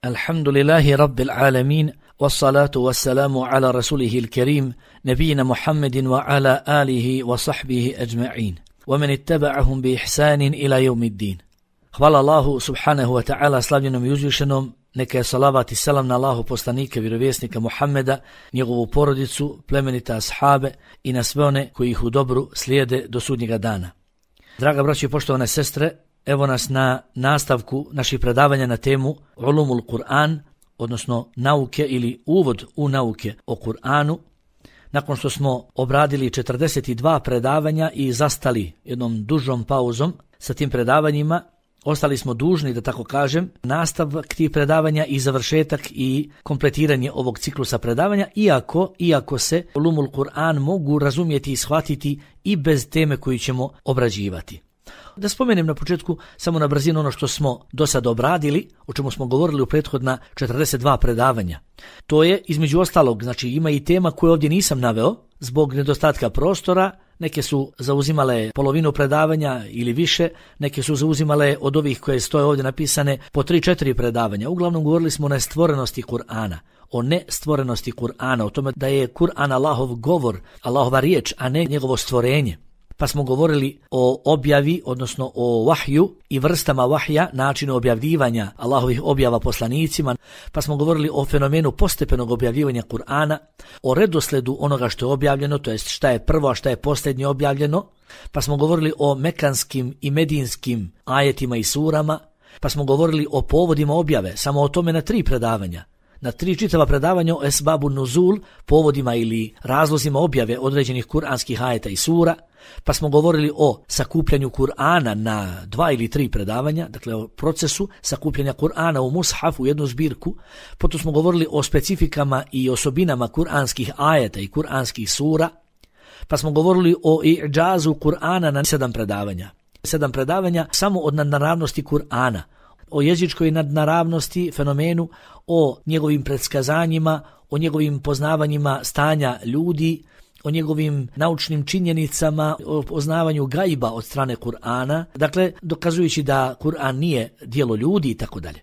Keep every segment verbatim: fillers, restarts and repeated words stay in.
Alhamdulillahi rabbil alamin, wassalatu wassalamu ala rasulihil kerim, nabijina Muhammedin wa ala alihi wa sahbihi ajma'in, wa men ittaba'ahum bi ihsanin ila yawmiddin. Hvala Allahu subhanahu wa ta'ala, slavljenom i uzvišenom, neka je salavat i salam na Allahu poslanika, vjerovjesnika Muhammeda, njegovu porodicu, plemenita ashabe i na sve one koji ih u dobru slijede do sudnjega dana. Draga braćo i poštovane sestre, evo nas na nastavku naših predavanja na temu Ulumul Kur'an, odnosno nauke ili uvod u nauke o Kur'anu. Nakon što smo obradili četrdeset dva predavanja i zastali jednom dužom pauzom sa tim predavanjima, ostali smo dužni, da tako kažem, nastavak tih predavanja i završetak i kompletiranje ovog ciklusa predavanja, iako, iako se Ulumul Kur'an mogu razumjeti i shvatiti i bez teme koju ćemo obrađivati. Da spomenem na početku samo na brzinu ono što smo do sada obradili, o čemu smo govorili u prethodna četrdeset dva predavanja. To je, između ostalog, znači ima i tema koje ovdje nisam naveo zbog nedostatka prostora. Neke su zauzimale polovinu predavanja ili više, neke su zauzimale od ovih koje stoje ovdje napisane po tri četiri predavanja. Uglavnom govorili smo o nestvorenosti Kur'ana, o nestvorenosti Kur'ana, o tome da je Kur'an Allahov govor, Allahova riječ, a ne njegovo stvorenje. Pa smo govorili o objavi, odnosno o vahju i vrstama vahja, načinu objavljivanja Allahovih objava poslanicima. Pa smo govorili o fenomenu postepenog objavljivanja Kur'ana, o redosledu onoga što je objavljeno, to jest šta je prvo, a šta je posljednje objavljeno. Pa smo govorili o mekanskim i medinskim ajetima i surama. Pa smo govorili o povodima objave, samo o tome na tri predavanja. Na tri čitava predavanja o esbabu nuzul, povodima ili razlozima objave određenih kuranskih ajeta i sura. Pa smo govorili o sakupljanju Kur'ana na dva ili tri predavanja, dakle o procesu sakupljanja Kur'ana u mushaf, u jednu zbirku. Potom smo govorili o specifikama i osobinama kuranskih ajeta i kuranskih sura. Pa smo govorili o i'džazu Kur'ana na sedam predavanja. Sedam predavanja samo od nadnaravnosti Kur'ana, o jezičkoj nadnaravnosti, fenomenu, o njegovim predskazanjima, o njegovim poznavanjima stanja ljudi, o njegovim naučnim činjenicama, o poznavanju gajba od strane Kur'ana, dakle dokazujući da Kur'an nije djelo ljudi i tako dalje.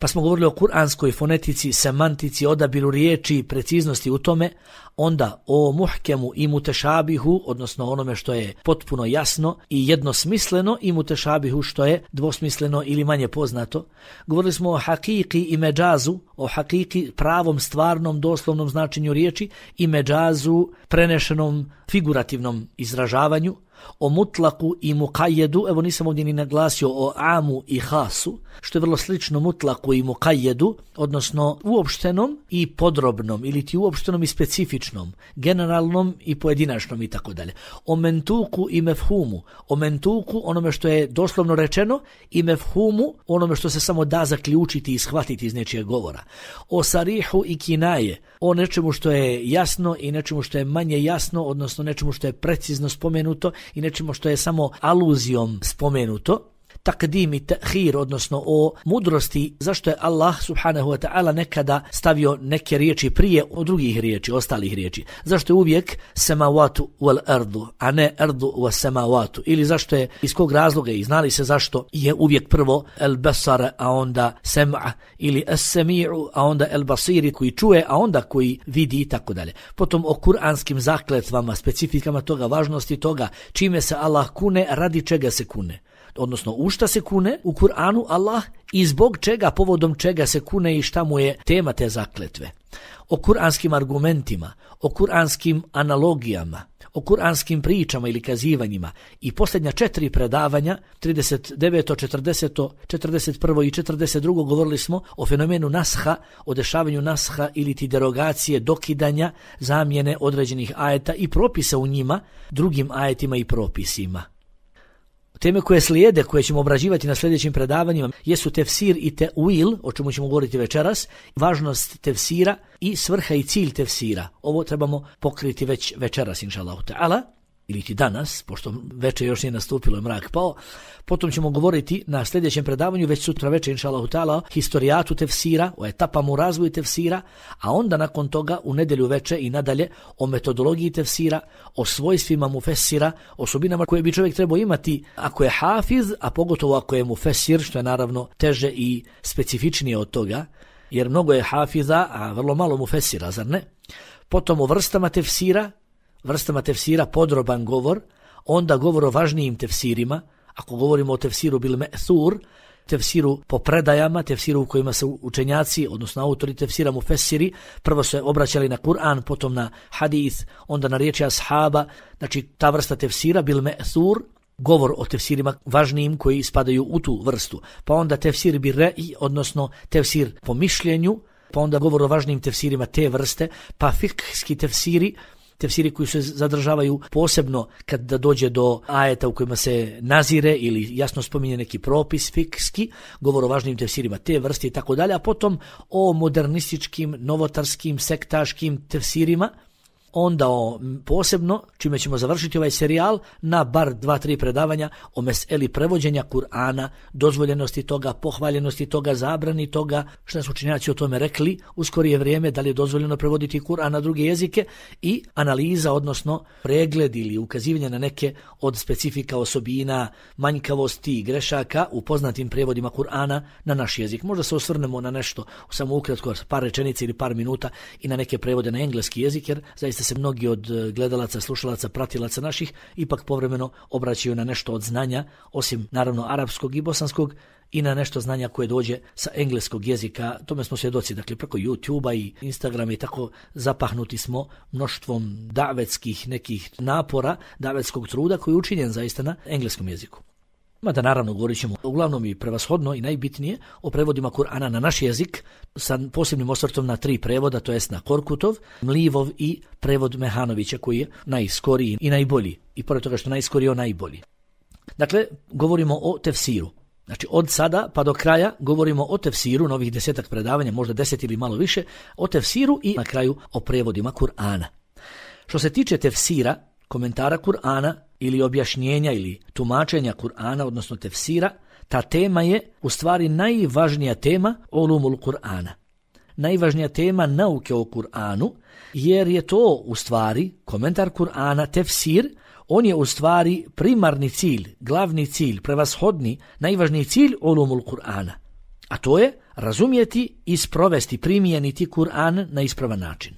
Pa smo govorili o kuranskoj fonetici, semantici, odabiru riječi, preciznosti u tome, onda o muhkemu i mutešabihu, odnosno onome što je potpuno jasno i jednosmisleno, i mutešabihu što je dvosmisleno ili manje poznato. Govorili smo o hakiki i međazu, o hakiki pravom, stvarnom, doslovnom značenju riječi i međazu prenešenom figurativnom izražavanju, o mutlaku i mukajedu, evo nisam ovdje ni naglasio o amu i hasu, što je vrlo slično mutlaku i mukajedu, odnosno uopštenom i podrobnom, ili ti uopštenom i specifičnom, generalnom i pojedinačnom i tako dalje. O mentuku i mefhumu, o mentuku onome što je doslovno rečeno i mefhumu onome što se samo da zaključiti i shvatiti iz nečijeg govora. O sarihu i kinaje, o nečemu što je jasno i nečemu što je manje jasno, odnosno nečemu što je precizno spomenuto i nečemu što je samo aluzijom spomenuto. Takdim i ta'khir, odnosno o mudrosti, zašto je Allah subhanahu wa ta'ala nekada stavio neke riječi prije od drugih riječi, ostalih riječi. Zašto je uvijek samawatu wal ardu, a ne ardu was samawatu, ili zašto je, iz kog razloga, i znali se zašto je uvijek prvo el basara, a onda sem'a, ili as-sami'u, a onda el basiri koji čuje, a onda koji vidi i tako dalje. Potom o kuranskim zakletvama, specifikama toga, važnosti toga, čime se Allah kune, radi čega se kune. Odnosno u šta se kune u Kur'anu Allah i zbog čega, povodom čega se kune i šta mu je tema te zakletve. O kuranskim argumentima, o kuranskim analogijama, o kuranskim pričama ili kazivanjima. I posljednja četiri predavanja, trideset deveto, četrdeseto, četrdeset prvo i četrdeset drugo govorili smo o fenomenu nasha, o dešavanju nasha ili ti derogacije, dokidanja, zamjene određenih ajeta i propisa u njima drugim ajetima i propisima. Teme koje slijede, koje ćemo obrađivati na sljedećim predavanjima, jesu tefsir i teuil, o čemu ćemo govoriti večeras, važnost tefsira i svrha i cilj tefsira. Ovo trebamo pokriti već večeras, inšallahu ta'ala, ili ti danas, pošto večer još nije nastupilo, mrak pao. Potom ćemo govoriti na sljedećem predavanju, već sutra večer, inšallahu ta'ala, historijatu tefsira, o etapama u razvoju tefsira, a onda nakon toga u nedjelju večer i nadalje o metodologiji tefsira, o svojstvima mufessira, osobinama koje bi čovjek trebao imati ako je hafiz, a pogotovo ako je mufessir, što je naravno teže i specifičnije od toga, jer mnogo je hafiza, a vrlo malo mufesira, zar ne? Potom o vrstama tefsira, vrstama tefsira podroban govor, onda govor o važnijim tefsirima, ako govorimo o tefsiru bil me'thur, tefsiru po predajama, tefsiru u kojima se učenjaci, odnosno autori tefsira mufesiri, prvo se obraćali na Kur'an, potom na hadith, onda na riječi ashaba, znači ta vrsta tefsira bil me'thur, govor o tefsirima važnijim koji spadaju u tu vrstu. Pa onda tefsir bi re'i, odnosno tefsir po mišljenju, pa onda govor o važnijim tefsirima te vrste, pa fikski tefsiri, tefsiri koji se zadržavaju posebno kad da dođe do ajeta u kojima se nazire ili jasno spominje neki propis fikski, govor o važnim tefsirima te vrste i tako dalje, a potom o modernističkim, novotarskim, sektaškim tefsirima, onda o, posebno, čime ćemo završiti ovaj serijal, na bar dva, tri predavanja o meseli prevođenja Kur'ana, dozvoljenosti toga, pohvaljenosti toga, zabrani toga, što su učenjaci o tome rekli u skorije vrijeme, da li je dozvoljeno prevoditi Kur'an na druge jezike i analiza, odnosno pregled ili ukazivanje na neke od specifika osobina, manjkavosti i grešaka u poznatim prevodima Kur'ana na naš jezik. Možda se osvrnemo na nešto, samo ukratko, par rečenica ili par minuta i na neke prevode na engleski jezik, jer zaista se mnogi od gledalaca, slušalaca, pratilaca naših ipak povremeno obraćaju na nešto od znanja, osim naravno arapskog i bosanskog, i na nešto znanja koje dođe sa engleskog jezika. Tome smo svjedoci, dakle preko YouTubea i Instagrama i tako zapahnuti smo mnoštvom davetskih nekih napora, davetskog truda koji je učinjen zaista na engleskom jeziku. Mada naravno govorit ćemo uglavnom i prevashodno i najbitnije o prevodima Kur'ana na naš jezik sa posebnim osvrtom na tri prevoda, to jest na Korkutov, Mlivov i prevod Mehanovića koji je najskoriji i najbolji. I pored toga što najskoriji, on najbolji. Dakle, govorimo o tefsiru. Znači od sada pa do kraja govorimo o tefsiru, novih desetak predavanja, možda deset ili malo više, o tefsiru i na kraju o prevodima Kur'ana. Što se tiče tefsira, komentara Kur'ana ili objašnjenja ili tumačenja Kur'ana, odnosno tefsira, ta tema je u stvari najvažnija tema ulumul Kur'ana. Najvažnija tema nauke o Kur'anu, jer je to u stvari komentar Kur'ana, tefsir, on je u stvari primarni cilj, glavni cilj, prevashodni, najvažniji cilj ulumul Kur'ana. A to je razumjeti i sprovesti, primijeniti Kur'an na ispravan način.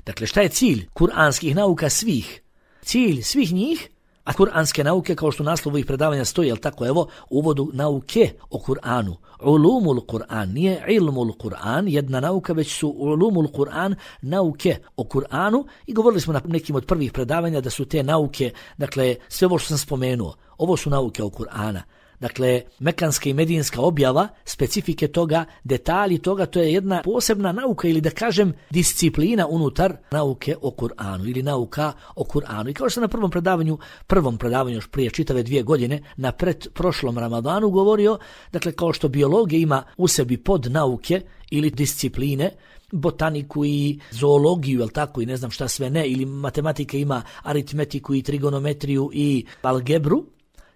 Dakle, šta je cilj kur'anskih nauka svih? Cilj svih njih, a kur'anske nauke, kao što u naslovu ih predavanja stoji, jel tako, evo, u uvodu nauke o Kur'anu. Ulumul Kur'an, nije ilmul Kur'an, jedna nauka, već su ulumul Kur'an, nauke o Kur'anu, i govorili smo na nekim od prvih predavanja da su te nauke, dakle, sve ovo što sam spomenuo, ovo su nauke o Kur'ana. Dakle, mekanska i medinska objava, specifike toga, detalji toga, to je jedna posebna nauka ili da kažem disciplina unutar nauke o Kur'anu ili nauka o Kur'anu. I kao što sam na prvom predavanju, prvom predavanju još prije čitave dvije godine, na pred prošlom Ramadanu govorio, dakle kao što biologija ima u sebi podnauke ili discipline, botaniku i zoologiju, jel tako, i ne znam šta sve ne, ili matematika ima aritmetiku i trigonometriju i algebru,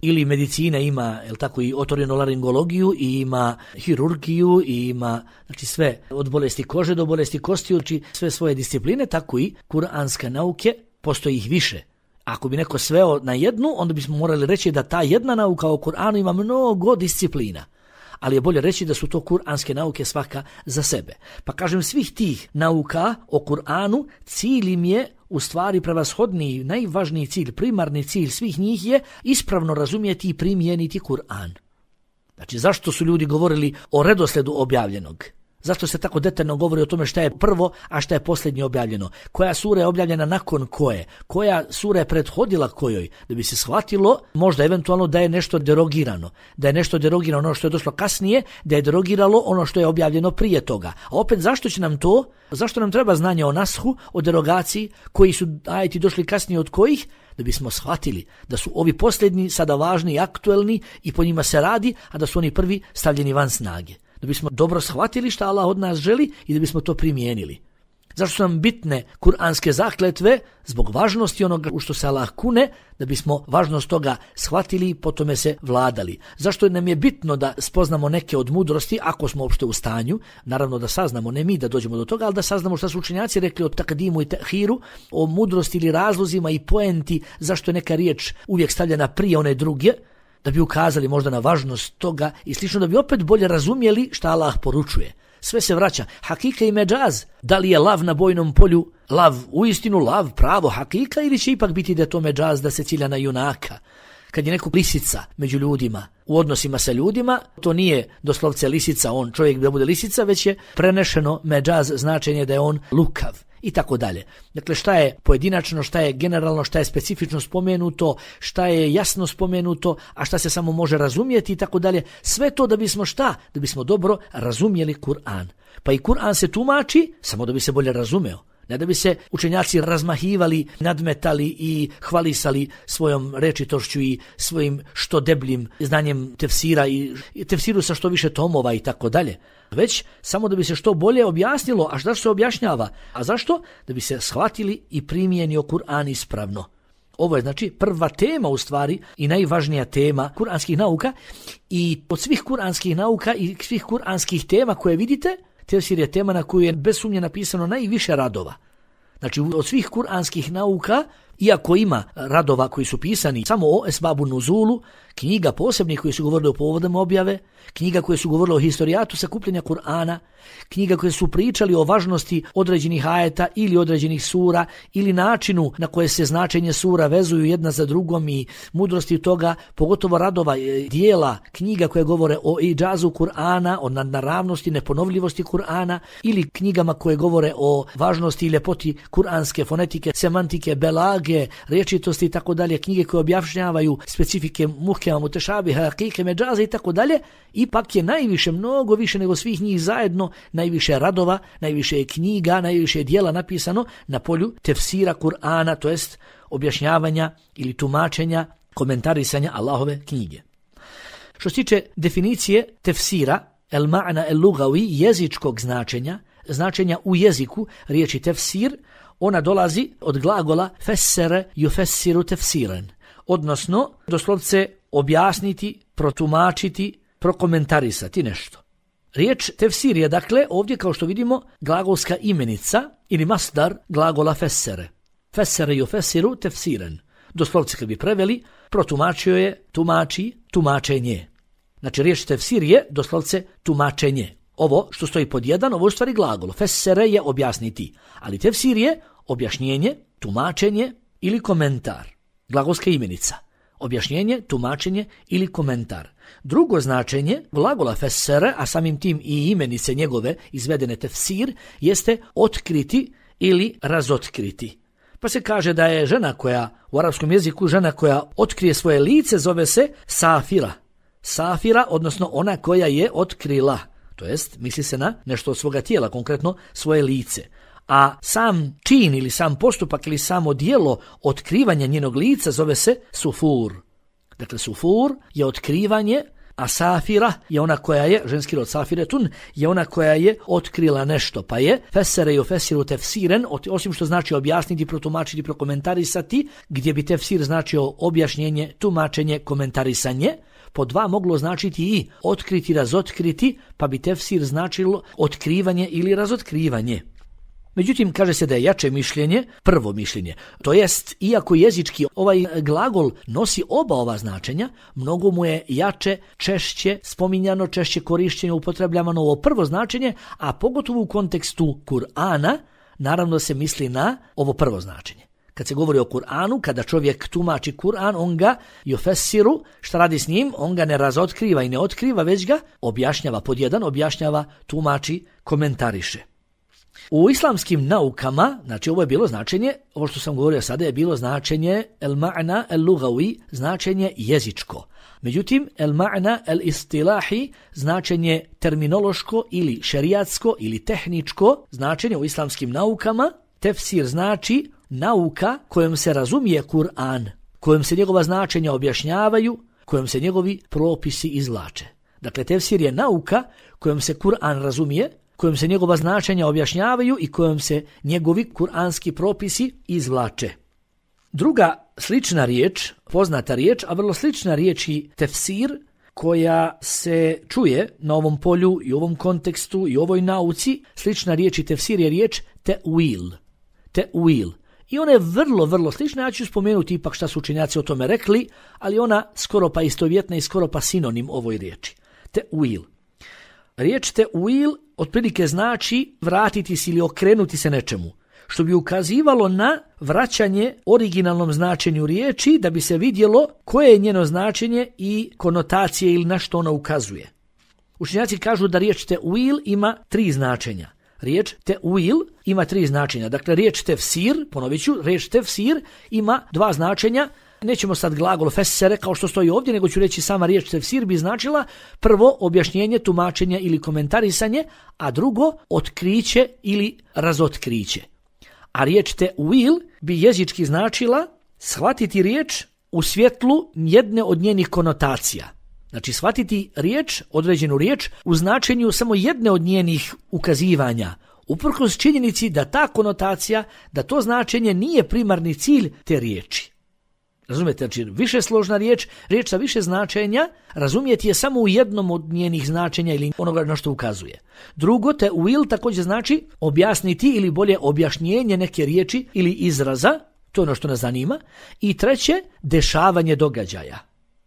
ili medicina ima, jel tako, i otorinolaringologiju, i ima hirurgiju, i ima, znači, sve od bolesti kože do bolesti kosti, uči sve svoje discipline, tako i kuranske nauke, postoji ih više. Ako bi neko sveo na jednu, onda bismo morali reći da ta jedna nauka o Kur'anu ima mnogo disciplina. Ali je bolje reći da su to kuranske nauke svaka za sebe. Pa kažem, svih tih nauka o Kur'anu, cilj im je u stvari prevashodni, najvažniji cilj, primarni cilj svih njih je ispravno razumjeti i primijeniti Kur'an. Znači, zašto su ljudi govorili o redosledu objavljenog? Zašto se tako detaljno govori o tome šta je prvo, a šta je posljednje objavljeno? Koja sura je objavljena nakon koje? Koja sura je prethodila kojoj? Da bi se shvatilo možda eventualno da je nešto derogirano. Da je nešto derogirano ono što je došlo kasnije, da je derogiralo ono što je objavljeno prije toga. A opet zašto će nam to? Zašto nam treba znanje o nashu, o derogaciji, koji su ajeti došli kasnije od kojih? Da bismo shvatili da su ovi posljednji sada važni i aktuelni i po njima se radi, a da su oni prvi stavljeni van snage. Da bismo dobro shvatili šta Allah od nas želi i da bismo to primijenili. Zašto su nam bitne kuranske zakletve? Zbog važnosti onoga u što se Allah kune, da bismo važnost toga shvatili i po tome se vladali. Zašto nam je bitno da spoznamo neke od mudrosti, ako smo uopšte u stanju, naravno da saznamo, ne mi da dođemo do toga, ali da saznamo šta su učenjaci rekli o takdimu i tehiru, o mudrosti ili razlozima i poenti, zašto je neka riječ uvijek stavljena prije one druge, da bi ukazali možda na važnost toga i slično, da bi opet bolje razumjeli šta Allah poručuje. sve se vraća. Hakika i međaz, da li je lav na bojnom polju, lav, uistinu lav, pravo hakika, ili će ipak biti da je to međaz, da se cilja na junaka. Kad je neko lisica među ljudima, u odnosima sa ljudima, to nije doslovce lisica, on čovjek da bude lisica, već je prenešeno međaz, značenje da je on lukav i tako dalje. Dakle, šta je pojedinačno, šta je generalno, šta je specifično spomenuto, šta je jasno spomenuto, a šta se samo može razumjeti i tako dalje. Sve to da bismo šta? Da bismo dobro razumjeli Kur'an. Pa i Kur'an se tumači samo da bi se bolje razumeo. Ne da bi se učenjaci razmahivali, nadmetali i hvalisali svojom rečitošću i svojim što debljim znanjem tefsira i tefsiru sa što više tomova i tako dalje. Već samo da bi se što bolje objasnilo, a šta se objašnjava? A zašto? Da bi se shvatili i primijenio Kur'an ispravno. Ovo je znači prva tema u stvari i najvažnija tema kuranskih nauka, i od svih kuranskih nauka i svih kuranskih tema koje vidite, tefsir je tema na koju je bez sumnje napisano najviše radova. Znači od svih kuranskih nauka, iako ima radova koji su pisani samo o esbabu nuzulu, knjiga posebnih koji su govorili o povodama objave, knjiga koje su govorili o historijatu sakupljenja Kur'ana, knjiga koje su pričali o važnosti određenih ajeta ili određenih sura ili načinu na koje se značenje sura vezuju jedna za drugom i mudrosti toga, pogotovo radova, dijela, knjiga koje govore o idžazu Kur'ana, o nadnaravnosti, neponovljivosti Kur'ana, ili knjigama koje govore o važnosti i ljepoti kuranske fonetike, semantike, belage, rječitosti i tako dalje, knjige koje objašnjavaju specifike muhkema, mutešabiha, hakike, međaze i tako dalje. Ipak je najviše, mnogo više nego svih njih zajedno, najviše radova, najviše je knjiga, najviše je dijela napisano na polju tefsira Kur'ana, to jest objašnjavanja ili tumačenja, komentarisanja Allahove knjige. Što se tiče definicije tefsira, el ma'na el lugawi, jezičkog značenja, značenja u jeziku riječi tefsir, ona dolazi od glagola fessere yufessiru tefsiran, odnosno doslovce objasniti, protumačiti, prokomentarisati nešto. Riječ tefsir je dakle ovdje, kao što vidimo, glagolska imenica ili masdar glagola fessere. Fessere yufessiru tefsiran. Doslovce kad bi preveli, protumačio je, tumači, tumačenje. Znači riječ tefsir je doslovce tumačenje. Ovo što stoji pod jedan, ovo je u stvari glagol. Fessere je objasniti, ali tefsir je objašnjenje, tumačenje ili komentar. Glagolska imenica. Objašnjenje, tumačenje ili komentar. Drugo značenje glagola fessere, a samim tim i imenice njegove izvedene tefsir, jeste otkriti ili razotkriti. Pa se kaže da je žena koja u arapskom jeziku, žena koja otkrije svoje lice, zove se safira. Safira, odnosno ona koja je otkrila. To jest, misli se na nešto od svoga tijela, konkretno svoje lice. A sam čin ili sam postupak ili samo djelo otkrivanja njenog lica zove se sufur. Dakle, sufur je otkrivanje, a safira je ona koja je, ženski rod safiretun, je ona koja je otkrila nešto. Pa je fesere i ofesiru tefsiren, osim što znači objasniti, protumačiti, prokomentarisati, gdje bi tefsir značio objašnjenje, tumačenje, komentarisanje, po dva moglo značiti i otkriti, razotkriti, pa bi tefsir značilo otkrivanje ili razotkrivanje. Međutim, kaže se da je jače mišljenje prvo mišljenje. To jest, iako jezički ovaj glagol nosi oba ova značenja, mnogo mu je jače, češće spominjano, češće korišćenje, upotrebljavano ovo prvo značenje, a pogotovo u kontekstu Kur'ana, naravno se misli na ovo prvo značenje. Kad se govori o Kur'anu, kada čovjek tumači Kur'an, on ga yufessiru, šta radi s njim? On ga ne razotkriva i ne otkriva, već ga objašnjava pod jedan, objašnjava, tumači, komentariše. U islamskim naukama, znači ovo je bilo značenje, ovo što sam govorio sada je bilo značenje el ma'na el lugawi, značenje jezičko. Međutim, el ma'na el istilahi, značenje terminološko ili šerijatsko ili tehničko, značenje u islamskim naukama, tefsir znači nauka kojom se razumije Kur'an, kojom se njegova značenja objašnjavaju, kojom se njegovi propisi izvlače. Dakle, tefsir je nauka kojom se Kur'an razumije, kojom se njegova značenja objašnjavaju i kojom se njegovi kuranski propisi izvlače. Druga slična riječ, poznata riječ, a vrlo slična riječ i tefsir, koja se čuje na ovom polju i ovom kontekstu i ovoj nauci, slična riječ i tefsir je riječ te'wil. Te'wil. I ona je vrlo, vrlo slična, ja ću spomenuti ipak šta su učenjaci o tome rekli, ali ona skoro pa istovjetna i skoro pa sinonim ovoj riječi. Te'wil. Riječ te'wil otprilike znači vratiti se ili okrenuti se nečemu, što bi ukazivalo na vraćanje originalnom značenju riječi da bi se vidjelo koje je njeno značenje i konotacije ili na što ona ukazuje. Učenjaci kažu da riječ te'wil ima tri značenja. Riječ te'wil ima tri značenja. Dakle, riječ tefsir, ponovit ću, riječ tefsir ima dva značenja. Nećemo sad glagol fesere kao što stoji ovdje, nego ću reći sama riječ tefsir bi značila prvo objašnjenje, tumačenje ili komentarisanje, a drugo otkriće ili razotkriće. A riječ te'wil bi jezički značila shvatiti riječ u svjetlu jedne od njenih konotacija. Znači shvatiti riječ, određenu riječ u značenju samo jedne od njenih ukazivanja, uprkos činjenici da ta konotacija, da to značenje nije primarni cilj te riječi. Razumijete, znači više složna riječ, riječ sa više značenja, razumijeti je samo u jednom od njenih značenja ili onoga na što ukazuje. Drugo, te'wil također znači objasniti ili bolje objašnjenje neke riječi ili izraza, to je ono što nas zanima. I treće, dešavanje događaja.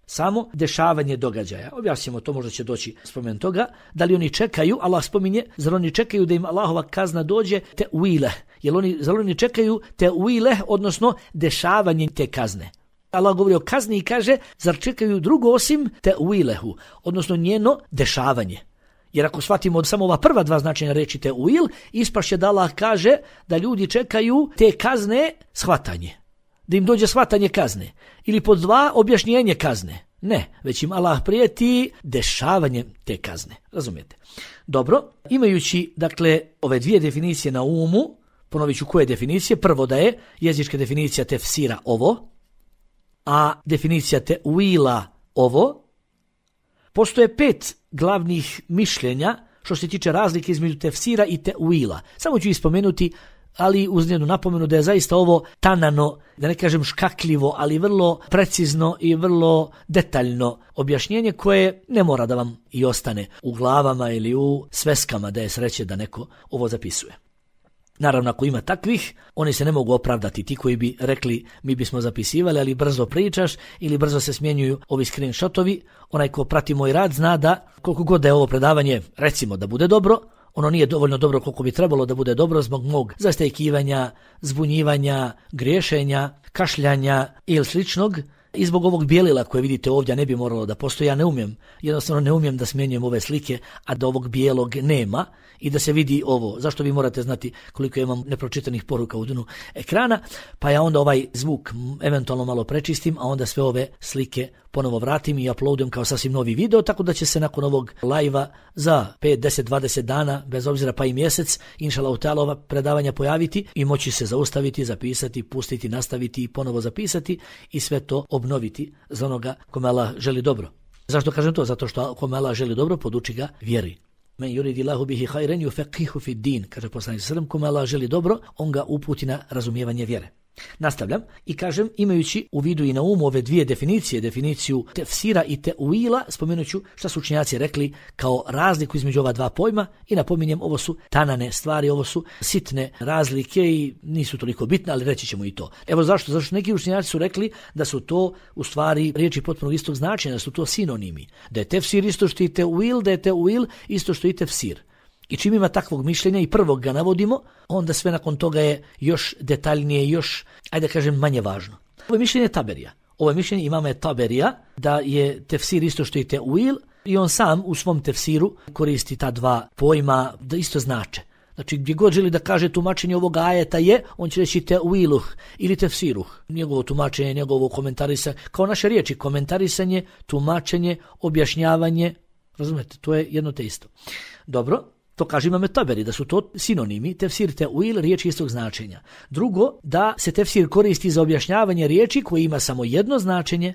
Samo dešavanje događaja. Objasnimo to, možda će doći spomen toga. Da li oni čekaju, Allah spominje, zar oni čekaju da im Allahova kazna dođe te'wile? Jer oni, zar oni čekaju te'wile, odnosno dešavanje te kazne? Allah govori o kazni i kaže, zar čekaju drugo osim te'wilehu, odnosno njeno dešavanje. Jer ako shvatimo od samo ova prva dva značenja reći te'wil, ispašće da Allah kaže da ljudi čekaju te kazne shvatanje. Da im dođe shvatanje kazne. Ili pod dva objašnjenje kazne. Ne, već im Allah prijeti dešavanjem te kazne. Razumijete? Dobro, imajući dakle ove dvije definicije na umu, ponovit ću koje definicije. Prvo da je jezička definicija tefsira ovo, a definicija te'wila ovo. Postoje pet glavnih mišljenja što se tiče razlike između tefsira i te'wila. Samo ću ih spomenuti, ali uz jednu napomenu da je zaista ovo tanano, da ne kažem škakljivo, ali vrlo precizno i vrlo detaljno objašnjenje koje ne mora da vam i ostane u glavama ili u sveskama, da je sreće da neko ovo zapisuje. Naravno, ako ima takvih, oni se ne mogu opravdati, ti koji bi rekli mi bismo zapisivali, ali brzo pričaš ili brzo se smjenjuju ovi screenshotovi. Onaj ko prati moj rad zna da koliko god da je ovo predavanje, recimo da bude dobro, ono nije dovoljno dobro koliko bi trebalo da bude dobro zbog mog zastajkivanja, zbunjivanja, griješenja, kašljanja ili sličnog. I zbog ovog bijelila koje vidite ovdje ne bi moralo da postoji, ja ne umijem, jednostavno ne umijem da smjenjujem ove slike, a da ovog bijelog nema i da se vidi ovo. Zašto vi morate znati koliko imam nepročitanih poruka u dnu ekrana, pa ja onda ovaj zvuk eventualno malo prečistim, a onda sve ove slike ponovo vratim i uploadujem kao sasvim novi video, tako da će se nakon ovog live-a za pet, deset, dvadeset dana, bez obzira pa i mjesec, inšallah ta'ala ova predavanja pojaviti i moći se zaustaviti, zapisati, pustiti, nastaviti i ponovo zapisati i sve to obnoviti za onoga kome Allah želi dobro. Zašto kažem to? Zato što kome Allah želi dobro, poduči ga vjeri. Men yuridillahu bihi khayran yufaqihu fi din, kaže poslanik sallallahu alejhi ve sellem, kome Allah želi dobro, on ga uputi na razumijevanje vjere. Nastavljam i kažem, imajući u vidu i na umu ove dvije definicije, definiciju tefsira i te'wila, spomenut ću šta su učenjaci rekli kao razliku između ova dva pojma i napominjem, ovo su tanane stvari, ovo su sitne razlike i nisu toliko bitne, ali reći ćemo i to. Evo zašto? Zašto neki učenjaci su rekli da su to u stvari riječi potpuno istog značenja, da su to sinonimi. Da je tefsir isto što i te'wil, da je te'wil isto što i tefsir. I čim ima takvog mišljenja i prvog ga navodimo, onda sve nakon toga je još detaljnije, još, ajde da kažem, manje važno. Ovo je mišljenje Taberija. Ovo je mišljenje imama Taberija da je tefsir isto što i te'wil i on sam u svom tefsiru koristi ta dva pojma da isto znače. Znači gdje god želi da kaže tumačenje ovog ajeta je, on će reći te'wiluh ili tefsiruh. Njegovo tumačenje, njegovo komentarisanje, kao naše riječi, komentarisanje, tumačenje, objašnjavanje, razumete, to je jedno te isto. Dobro. To kaže imam Taberi, da su to sinonimi, tefsir te'wil, riječi istog značenja. Drugo, da se tefsir koristi za objašnjavanje riječi koje ima samo jedno značenje,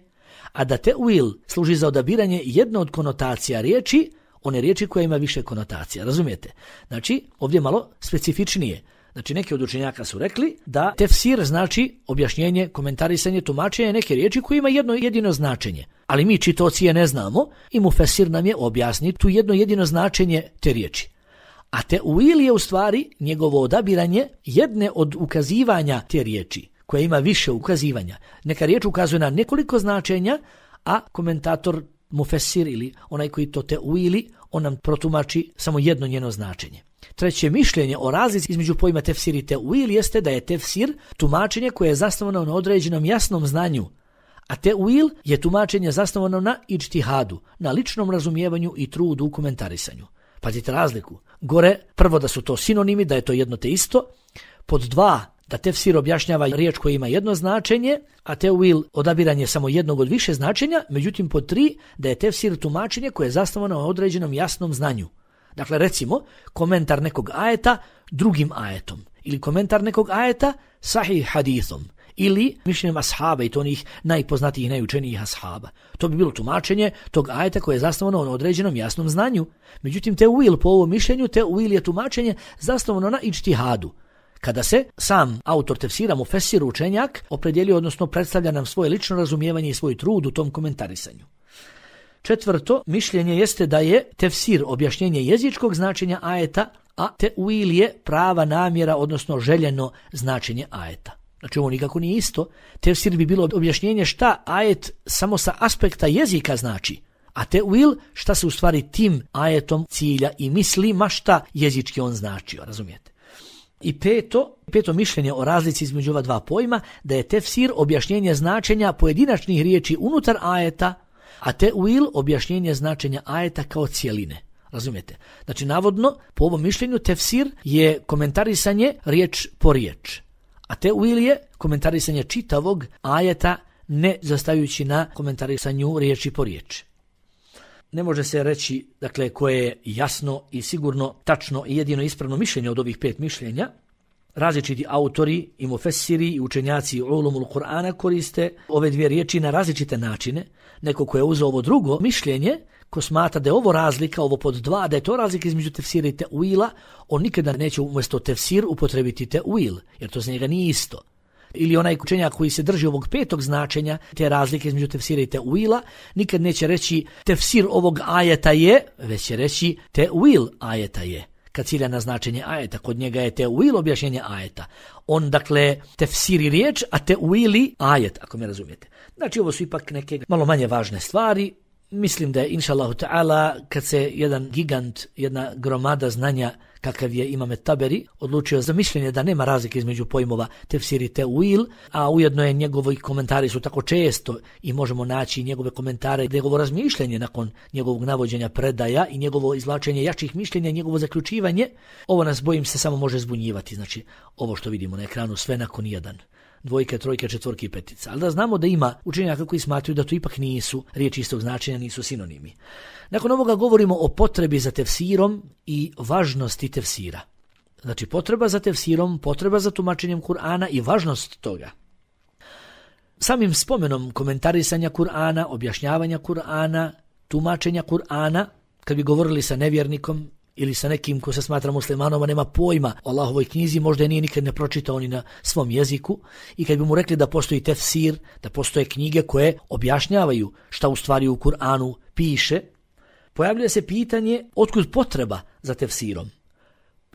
a da te'wil služi za odabiranje jedne od konotacija riječi, one riječi koja ima više konotacija, razumijete? Znači, ovdje malo specifičnije. Znači, neki od učenjaka su rekli da tefsir znači objašnjenje, komentarisanje, tumačenje neke riječi koje ima jedno jedino značenje. Ali mi čitaoci je ne znamo i mufesir nam je objasni tu jedno jedino značenje te riječi. A te'wil je u stvari njegovo odabiranje jedne od ukazivanja te riječi, koja ima više ukazivanja. Neka riječ ukazuje na nekoliko značenja, a komentator, mufesir ili onaj koji to te'wili, on nam protumači samo jedno njeno značenje. Treće mišljenje o razlici između pojma tefsir i teuil jeste da je tefsir tumačenje koje je zasnovano na određenom jasnom znanju, a teuil je tumačenje zasnovano na idžtihadu, na ličnom razumijevanju i trudu u komentarisanju. Pazite razliku. Gore, prvo da su to sinonimi, da je to jedno te isto. Pod dva, da tefsir objašnjava riječ koja ima jedno značenje, a teuil odabiranje samo jednog od više značenja. Međutim, pod tri, da je tefsir tumačenje koje je zasnovano na određenom jasnom znanju. Dakle, recimo, komentar nekog ajeta drugim ajetom. Ili komentar nekog ajeta sahih hadithom. Ili mišljenjem ashaba i to onih najpoznatijih, najučenijih ashaba. To bi bilo tumačenje tog ajeta koje je zasnovano na određenom jasnom znanju. Međutim, teuil po ovom mišljenju, teuil je tumačenje zasnovano na idžtihadu. Kada se sam autor tefsira, mufesir, učenjak, opredjelio, odnosno predstavlja nam svoje lično razumijevanje i svoj trud u tom komentarisanju. Četvrto, mišljenje jeste da je tefsir objašnjenje jezičkog značenja ajeta, a teuil je prava namjera, odnosno željeno značenje ajeta. Znači ovo nikako nije isto. Tefsir bi bilo objašnjenje šta ajet samo sa aspekta jezika znači, a teuil šta se u stvari tim ajetom cilja i misli, ma šta jezički on značio, razumijete? I peto, peto mišljenje o razlici između ova dva pojma, da je tefsir objašnjenje značenja pojedinačnih riječi unutar ajeta, a teuil objašnjenje značenja ajeta kao cijeline. Razumijete? Znači, navodno, po ovom mišljenju tefsir je komentarisanje riječ po riječ, a teuil je komentarisanje čitavog ajeta ne zastajući na komentarisanju riječi po riječi. Ne može se reći, dakle, koje je jasno i sigurno, tačno i jedino ispravno mišljenje od ovih pet mišljenja. Različiti autori i mufessiri i učenjaci ulumul Kur'ana koriste ove dvije riječi na različite načine. Neko ko je uzeo ovo drugo mišljenje, ko smatra da je ovo razlika, ovo pod dva, da je to razlika između tefsira i teuila, on nikada neće umjesto tefsir upotrebiti teuil, jer to za njega nije isto. Ili onaj učenjak koji se drži ovog petog značenja, te razlike između tefsira i teuila, nikad neće reći tefsir ovog ajeta je, već će reći teuil ajeta je. Kad cilja na značenje ajeta, kod njega je teuil objašnjenje ajeta. On, dakle, tefsiri riječ, a teuili ajet, ako me razumijete. Znači, ovo su ipak neke malo manje važne stvari. Mislim da je, inša Allahu ta'ala, kad se jedan gigant, jedna gromada znanja, kakav je Imam Taberi, odlučio za mišljenje da nema razlike između pojmova tefsir i teuil, a ujedno je njegovi komentari su tako često i možemo naći njegove komentare, njegovo razmišljanje nakon njegovog navođenja predaja i njegovo izvlačenje jačih mišljenja, njegovo zaključivanje. Ovo nas, bojim se, samo može zbunjivati. Znači, ovo što vidimo na ekranu, sve nakon jedan. Dvojke, trojke, četvorke i petica. Ali da znamo da ima učenjaka koji smatraju da to ipak nisu riječi istog značenja, nisu sinonimi. Nakon ovoga govorimo o potrebi za tefsirom i važnosti tefsira. Znači potreba za tefsirom, potreba za tumačenjem Kur'ana i važnost toga. Samim spomenom komentarisanja Kur'ana, objašnjavanja Kur'ana, tumačenja Kur'ana, kad bi govorili sa nevjernikom ili sa nekim ko se smatra muslimanom, a nema pojma o Allahovoj knjizi, možda je nije nikad ne pročitao ni na svom jeziku, i kad bi mu rekli da postoji tefsir, da postoje knjige koje objašnjavaju šta u stvari u Kur'anu piše, pojavlja se pitanje otkud potreba za tefsirom.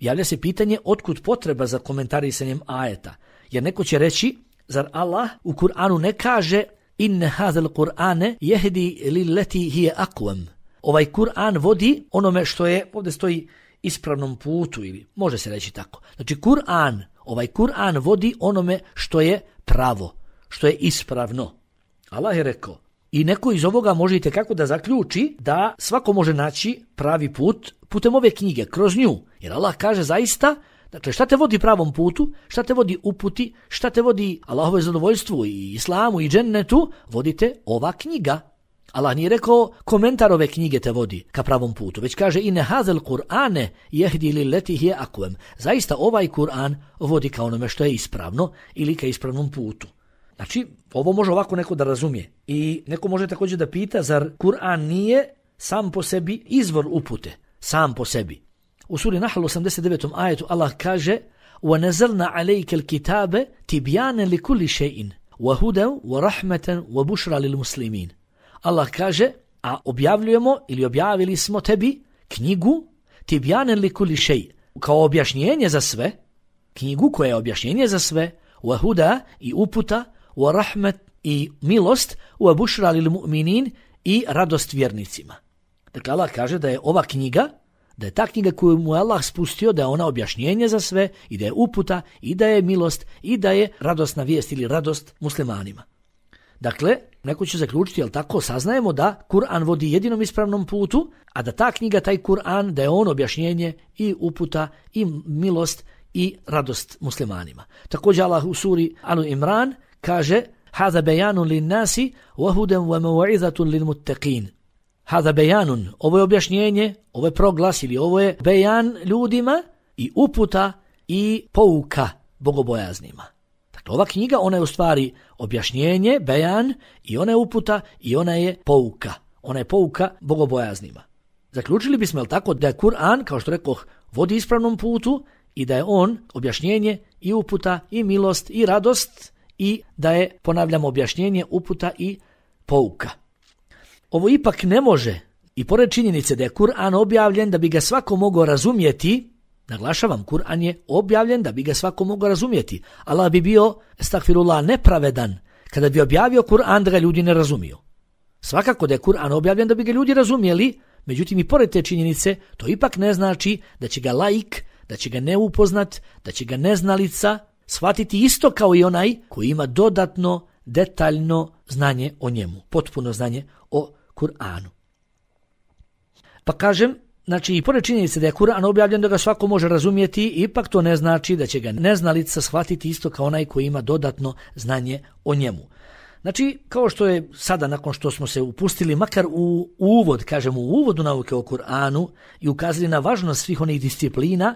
Javlja se pitanje otkud potreba za komentarisanjem ajeta. Jer neko će reći, zar Allah u Kur'anu ne kaže inne hazel Kur'ane jehdi lilleti hije akvam. Ovaj Kur'an vodi onome što je, ovdje stoji, ispravnom putu, ili može se reći tako. Znači Kur'an, ovaj Kur'an vodi onome što je pravo, što je ispravno. Allah je rekao. I neko iz ovoga možete kako da zaključi da svako može naći pravi put putem ove knjige, kroz nju. Jer Allah kaže zaista, dakle šta te vodi pravom putu, šta te vodi uputi, šta te vodi Allahove zadovoljstvu i islamu i džennetu, vodite ova knjiga. Allah nije rekao komentar ove knjige te vodi ka pravom putu, već kaže inne hazel Kur'ane jehdi lilleti hije akvam. Zaista ovaj Kur'an vodi ka onome što je ispravno ili ka ispravnom putu. Znači, ovo može ovako neko da razumije. I neko može također da pita, zar Kur'an nije sam po sebi izvor upute, sam po sebi. U suri Nahl osamdeset devetom ajetu Allah kaže وَنَزَلْنَا عَلَيْكَ الْكِتَابَ تِبْيَانًا لِكُلِّ شَيْءٍ وَهُدًا وَرَحْمَةً وَبُشْرًا لِلْمُسْلِمِينَ. Allah kaže, a objavljujemo ili objavili smo tebi knjigu tibjanen li kuli šej, kao objašnjenje za sve, knjigu koja je objašnjenje za sve, wa huda i uputa, wa rahmet i milost, wa bušra lil mu'minin i radost vjernicima. Dakle, Allah kaže da je ova knjiga, da je ta knjiga koju mu je Allah spustio, da je ona objašnjenje za sve i da je uputa i da je milost i da je radosna vijest ili radost muslimanima. Dakle, neko će zaključiti, jel tako, saznajemo da Kur'an vodi jedinom ispravnom putu, a da ta knjiga, taj Kur'an, da je on objašnjenje i uputa i milost i radost muslimanima. Također Allah u suri Al Imran kaže: "Hada bayanun lin-nasi wa hudan wa maw'izatun lil-muttaqin." Hada bayanun, ovo je objašnjenje, ovo je proglas ili ovo je bejan ljudima i uputa i pouka bogobojaznima. Dakle, ova knjiga, ona je u stvari objašnjenje, bejan, i ona je uputa i ona je pouka. Ona je pouka bogobojaznima. Zaključili bismo, jel tako, da je Kur'an, kao što rekoh, vodi ispravnom putu i da je on objašnjenje i uputa i milost i radost i da je, ponavljamo, objašnjenje, uputa i pouka. Ovo ipak ne može, i pored činjenice da je Kur'an objavljen da bi ga svako mogao razumjeti, naglašavam, Kur'an je objavljen da bi ga svako mogao razumjeti. Allah bi bio, estakfirullah, nepravedan kada bi objavio Kur'an da ga ljudi ne razumiju. Svakako da je Kur'an objavljen da bi ga ljudi razumjeli, međutim i pored te činjenice to ipak ne znači da će ga laik, da će ga neupoznat, da će ga neznalica shvatiti isto kao i onaj koji ima dodatno, detaljno znanje o njemu, potpuno znanje o Kur'anu. Pa kažem, znači i pored činjenice da je Kur'an objavljen da ga svako može razumjeti, ipak to ne znači da će ga neznalica shvatiti isto kao onaj koji ima dodatno znanje o njemu. Znači, kao što je sada, nakon što smo se upustili makar u uvod, kažemo u uvodu nauke o Kur'anu i ukazali na važnost svih onih disciplina,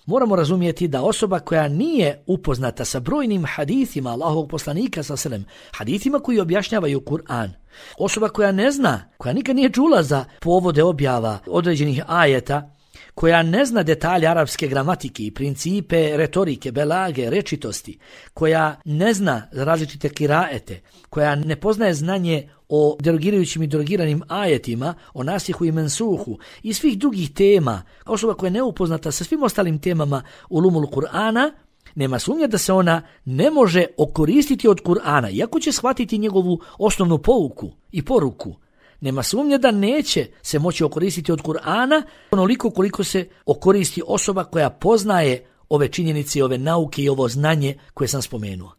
moramo razumjeti da osoba koja nije upoznata sa brojnim hadithima Allahovog poslanika sallallahu alejhi ve sellem, hadithima koji objašnjavaju Kur'an, osoba koja ne zna, koja nikad nije čula za povode objava određenih ajeta, koja ne zna detalje arapske gramatike i principe retorike, belage, rečitosti, koja ne zna različite kiraete, koja ne poznaje znanje o derogirajućim i derogiranim ajetima, o nasihu i mensuhu i svih drugih tema, osoba koja je neupoznata sa svim ostalim temama ulumul Kur'ana, nema sumnje da se ona ne može okoristiti od Kur'ana, iako će shvatiti njegovu osnovnu pouku i poruku. Nema sumnje da neće se moći okoristiti od Kur'ana onoliko koliko se okoristi osoba koja poznaje ove činjenice, ove nauke i ovo znanje koje sam spomenuo.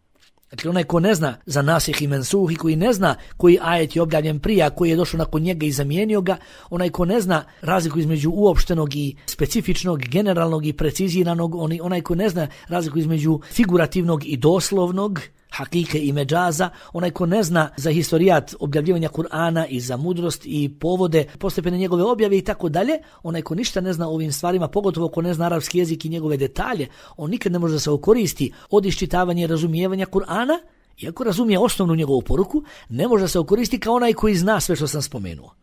Dakle, onaj ko ne zna za nasih i mensuh i koji ne zna koji ajet je objavljen prije, a koji je došao nakon njega i zamijenio ga, onaj ko ne zna razliku između uopštenog i specifičnog, generalnog i preciziranog, onaj ko ne zna razliku između figurativnog i doslovnog, hakike i međaza, onaj ko ne zna za historijat objavljivanja Kur'ana i za mudrost i povode, postepene njegove objave i tako dalje, onaj ko ništa ne zna o ovim stvarima, pogotovo ko ne zna arapski jezik i njegove detalje, on nikad ne može da se okoristi od iščitavanja i razumijevanja Kur'ana, iako razumije osnovnu njegovu poruku, ne može da se okoristi kao onaj koji zna sve što sam spomenuo.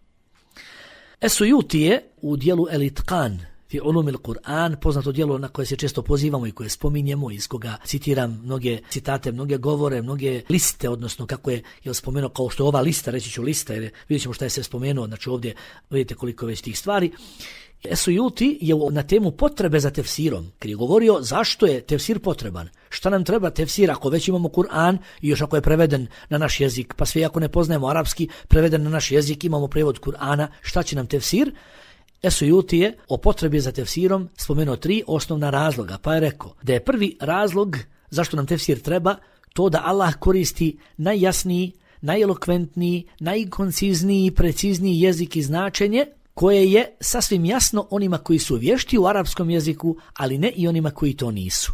Esujuti je u dijelu El-Itqan fi ulumil Kur'an, poznato djelo na koje se često pozivamo i koje spominjemo, iz koga citiram mnoge citate, mnoge govore, mnoge liste, odnosno kako je, je spomenuo, kao što je ova lista, reći ću lista, jer vidjet ćemo šta je se spomenuo, znači ovdje vidite koliko već tih stvari. Esujuti je na temu potrebe za tefsirom, kad je govorio zašto je tefsir potreban, šta nam treba tefsir ako već imamo Kur'an i još ako je preveden na naš jezik, pa sve ako ne poznajemo arapski, preveden na naš jezik, imamo prevod Kur'ana, šta će nam tefsir? Esujuti je o potrebi za tefsirom spomenuo tri osnovna razloga, pa je rekao da je prvi razlog zašto nam tefsir treba to da Allah koristi najjasniji, najelokventniji, najkoncizniji, precizniji jezik i značenje koje je sasvim jasno onima koji su vješti u arapskom jeziku, ali ne i onima koji to nisu.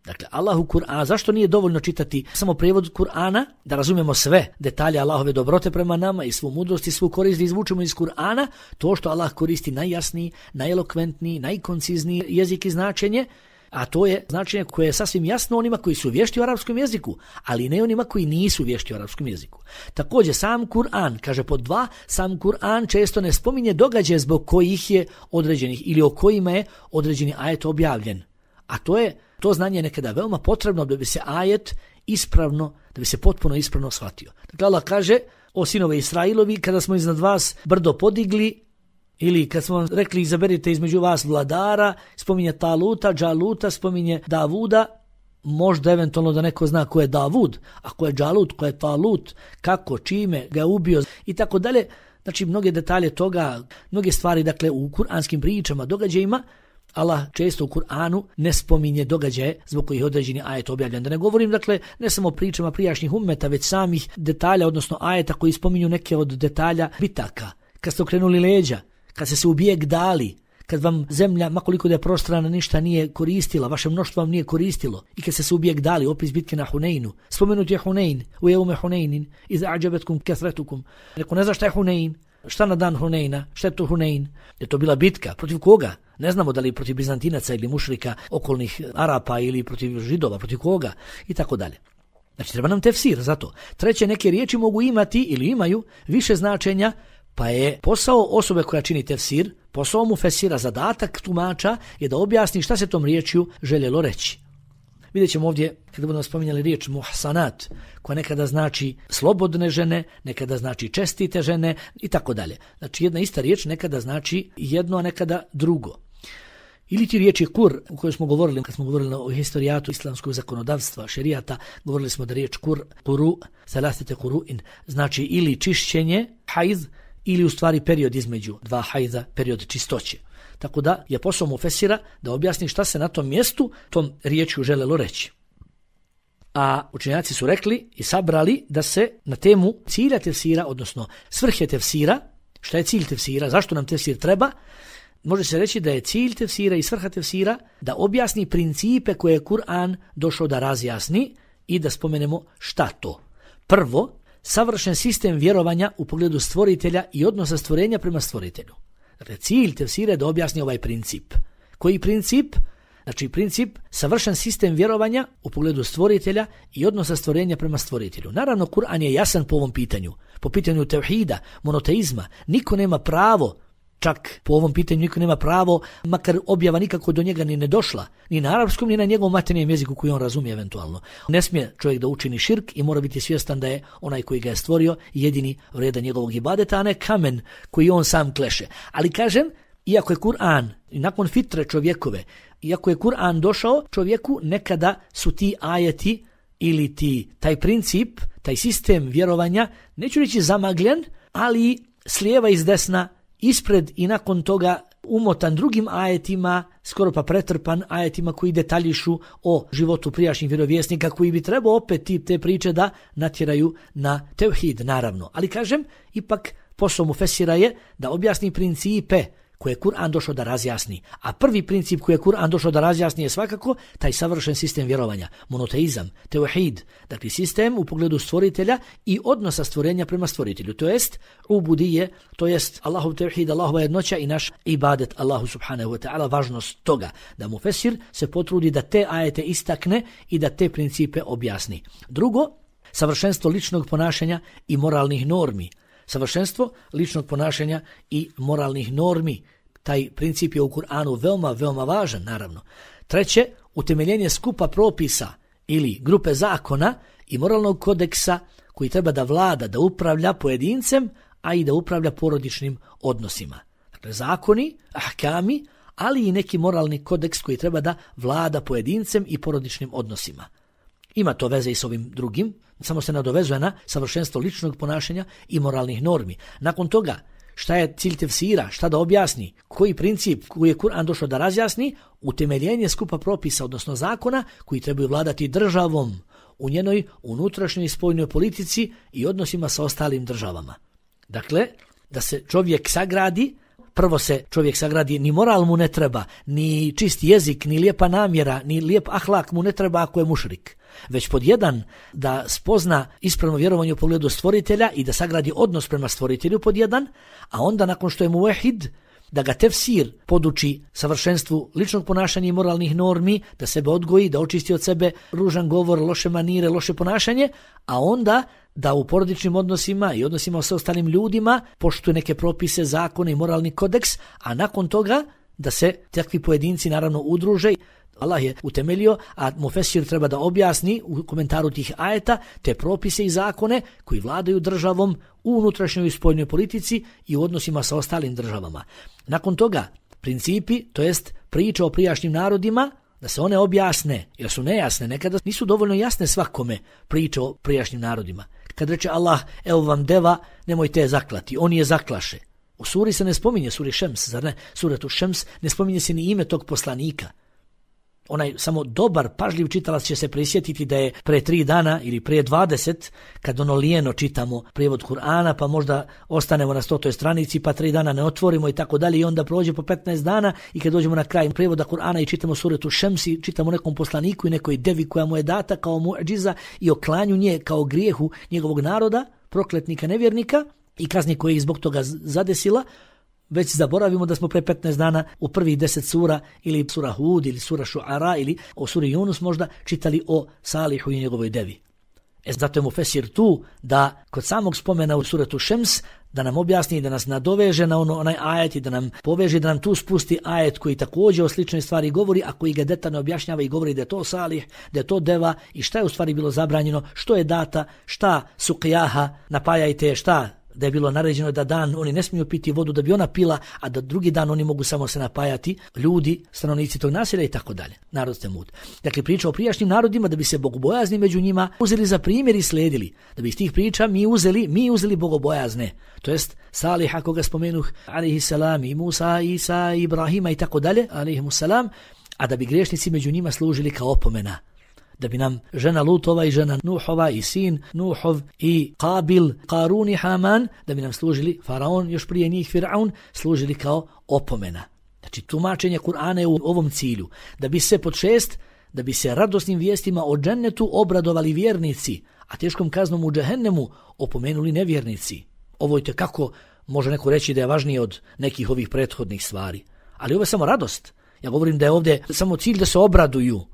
Dakle, Allahu Kur'an, zašto nije dovoljno čitati samo prijevod Kur'ana, da razumijemo sve detalje Allahove dobrote prema nama i svu mudrost i svu korist da izvučemo iz Kur'ana, to što Allah koristi najjasniji, najelokventniji, najkoncizniji jezik i značenje, a to je značenje koje je sasvim jasno onima koji su vješti u arapskom jeziku, ali ne onima koji nisu vješti u arapskom jeziku. Također, sam Kur'an, kaže pod dva, sam Kur'an često ne spominje događaje zbog kojih je određenih ili o kojima je određeni ajet objavljen. A to je to znanje je nekada veoma potrebno da bi se ajet ispravno, da bi se potpuno ispravno shvatio. Dakle, Allah kaže, o sinove Israilovi, kada smo iznad vas brdo podigli, ili kad smo vam rekli izaberite između vas vladara, spominje Taluta, Džaluta, spominje Davuda, možda eventualno da neko zna ko je Davud, a ko je Džalut, ko je Talut, kako, čime ga je ubio i tako dalje. Znači mnoge detalje toga, mnoge stvari dakle u kuranskim pričama, događajima, Allah često u Kur'anu ne spominje događaje zbog kojih je određeni ajet objavljen. Da ne govorim dakle ne samo pričama prijašnjih ummeta, već samih detalja, odnosno ajeta koji spominju neke od detalja bitaka. Kad ste okrenuli leđa, kad ste se u bijeg dali, kad vam zemlja, makoliko da je prostrana, ništa nije koristila, vaše mnoštvo vam nije koristilo, i kad ste se u bijeg dali, opis bitke na Huneinu. Spomenut je Hunein, u jeume Huneinin, iz ađabetkum kesretukum. Neko ne zna šta je Hunein, šta na dan Huneina, šta je to Hunein? Je to bila bitka, protiv koga? Ne znamo da li protiv Bizantinaca ili mušrika, okolnih Arapa ili protiv Židova, protiv koga i tako dalje. Znači treba nam tefsir za to. Treće, neke riječi mogu imati ili imaju više značenja, pa je posao osobe koja čini tefsir, posao mu fesira, zadatak tumača je da objasni šta se tom riječju željelo reći. Vidjet ćemo ovdje, kada budemo spominjali riječ muhsanat, koja nekada znači slobodne žene, nekada znači čestite žene i tako dalje. Znači jedna ista riječ nekada znači jedno, a nekada drugo. Ili ti riječi kur, u kojoj smo govorili, kad smo govorili o historijatu islamskog zakonodavstva, šerijata, govorili smo da riječ kur, kuru, salasite kuruin, znači ili čišćenje, hajz, ili u stvari period između dva hajza, period čistoće. Tako da je posao mufesira da objasni šta se na tom mjestu tom riječju želelo reći. A učenjaci su rekli i sabrali da se na temu cilja tefsira, odnosno svrhe tefsira, šta je cilj tefsira, zašto nam tefsir treba, može se reći da je cilj tefsira i svrha tefsira da objasni principe koje je Kur'an došao da razjasni i da spomenemo šta to. Prvo, savršen sistem vjerovanja u pogledu stvoritelja i odnosa stvorenja prema stvoritelju. Dakle, cilj tefsira je da objasni ovaj princip. Koji princip? Znači princip savršen sistem vjerovanja u pogledu stvoritelja i odnosa stvorenja prema stvoritelju. Naravno, Kur'an je jasan po ovom pitanju. Po pitanju tevhida, monoteizma. Niko nema pravo, čak po ovom pitanju niko nema pravo, makar objava nikako do njega ni ne došla, ni na arapskom, ni na njegovom maternjem jeziku koji on razumije eventualno. Ne smije čovjek da učini širk i mora biti svjestan da je onaj koji ga je stvorio jedini vredan njegovog ibadeta, a ne kamen koji on sam kleše. Ali kažem, iako je Kur'an, i nakon fitre čovjekove, iako je Kur'an došao čovjeku, nekada su ti ajeti ili ti, taj princip, taj sistem vjerovanja, neću reći zamagljen, ali s lijeva i s desna, ispred i nakon toga umotan drugim ajetima, skoro pa pretrpan ajetima koji detaljišu o životu prijašnjih vjerovjesnika, koji bi trebao opet ti te priče da natjeraju na tevhid, naravno. Ali kažem, ipak posao mufesira je da objasni principe koje je Kur'an došao da razjasni. A prvi princip koji je Kur'an došao da razjasni je svakako taj savršen sistem vjerovanja, monoteizam, tevhid, dakle sistem u pogledu stvoritelja i odnosa stvorenja prema stvoritelju, to jest ubudije, to jest Allahov tevhid, Allahova jednoća i naš ibadet Allahu subhanahu wa ta'ala, važnost toga da mufesir se potrudi da te ajete istakne i da te principe objasni. Drugo, savršenstvo ličnog ponašanja i moralnih normi. Savršenstvo ličnog ponašanja i moralnih normi. Taj princip je u Kur'anu veoma, veoma važan, naravno. Treće, utemeljenje skupa propisa ili grupe zakona i moralnog kodeksa koji treba da vlada, da upravlja pojedincem, a i da upravlja porodičnim odnosima. Dakle, zakoni, ahkami, ali i neki moralni kodeks koji treba da vlada pojedincem i porodičnim odnosima. Ima to veze i s ovim drugim, samo se nadovezuje na savršenstvo ličnog ponašanja i moralnih normi. Nakon toga, šta je cilj tefsira, šta da objasni, koji princip koji je Kur'an došao da razjasni, utemeljenje skupa propisa, odnosno zakona koji trebaju vladati državom u njenoj unutrašnjoj i spoljnoj politici i odnosima sa ostalim državama. Dakle, da se čovjek sagradi, prvo se čovjek sagradi, ni moral mu ne treba, ni čist jezik, ni lijepa namjera, ni lijep ahlak mu ne treba ako je mušrik. Već pod jedan da spozna ispravno vjerovanje u pogledu stvoritelja i da sagradi odnos prema stvoritelju pod jedan, a onda nakon što je muvehid, da ga tefsir poduči savršenstvu ličnog ponašanja i moralnih normi, da sebe odgoji, da očisti od sebe ružan govor, loše manire, loše ponašanje, a onda da u porodičnim odnosima i odnosima sa ostalim ljudima poštuje neke propise, zakone i moralni kodeks, a nakon toga da se takvi pojedinci naravno udruže. Allah je utemeljio, a mufesir treba da objasni u komentaru tih ajeta te propise i zakone koji vladaju državom u unutrašnjoj i spoljnoj politici i u odnosima sa ostalim državama. Nakon toga, principi, to jest priča o prijašnjim narodima, da se one objasne, jer su nejasne, nekada nisu dovoljno jasne svakome priče o prijašnjim narodima. Kad reče Allah, evo vam deva, nemojte je zaklati, on je zaklaše. U suri se ne spominje, suri Šems, zar ne? Suratu Šems ne spominje se ni ime tog poslanika. Onaj samo dobar, pažljiv čitalac će se prisjetiti da je pre tri dana ili pre dvadeset, kad ono lijeno čitamo prijevod Kur'ana, pa možda ostanemo na stotoj stranici, pa tri dana ne otvorimo i tako dalje, i onda prođe po petnaest dana i kad dođemo na kraj prijevoda Kur'ana i čitamo suratu Šems i čitamo nekom poslaniku i nekoj devi koja mu je data kao muadžiza i o klanju nje kao grijehu njegovog naroda, prokletnika, nevjernika i kazni koje ih zbog toga zadesila, već zaboravimo da smo pre petnaest dana u prvih deset sura ili sura Hud ili sura Šuara ili o suri Yunus možda čitali o Salihu i njegovoj devi. E zato je Mufesir tu da kod samog spomena u suratu Šems da nam objasni i da nas nadoveže na ono, onaj ajet i da nam poveže, da nam tu spusti ajet koji također o sličnoj stvari govori, a koji ga detaljno objašnjava i govori da je to Salih, da je to deva i šta je u stvari bilo zabranjeno, što je data, šta su qijaha, napajajte, šta da je bilo naređeno da dan oni ne smiju piti vodu da bi ona pila, a da drugi dan oni mogu samo se napajati, ljudi, stanovnici tog naselja i tako dalje. Narod Temud. Dakle, priča o prijašnjim narodima da bi se bogobojazni među njima uzeli za primjer i sledili. Da bi iz tih priča mi uzeli, mi uzeli bogobojazne. To jest Saliha koga spomenuh, alejhi selam, i Musa, Isa, Ibrahima i tako dalje, alejhimu selam, a da bi griješnici među njima služili kao opomena. Da bi nam žena Lutova i žena Nuhova i sin Nuhov i Kabil, Karun i Haman, da bi nam služili Faraon, još prije njih Firaun, služili kao opomena. Znači, tumačenje Kur'ana je u ovom cilju. Da bi se pod šest, da bi se radosnim vijestima o džennetu obradovali vjernici, a teškom kaznom u džehennemu opomenuli nevjernici. Ovo je kako može neko reći da je važnije od nekih ovih prethodnih stvari. Ali ovo je samo radost. Ja govorim da je ovdje samo cilj da se obraduju.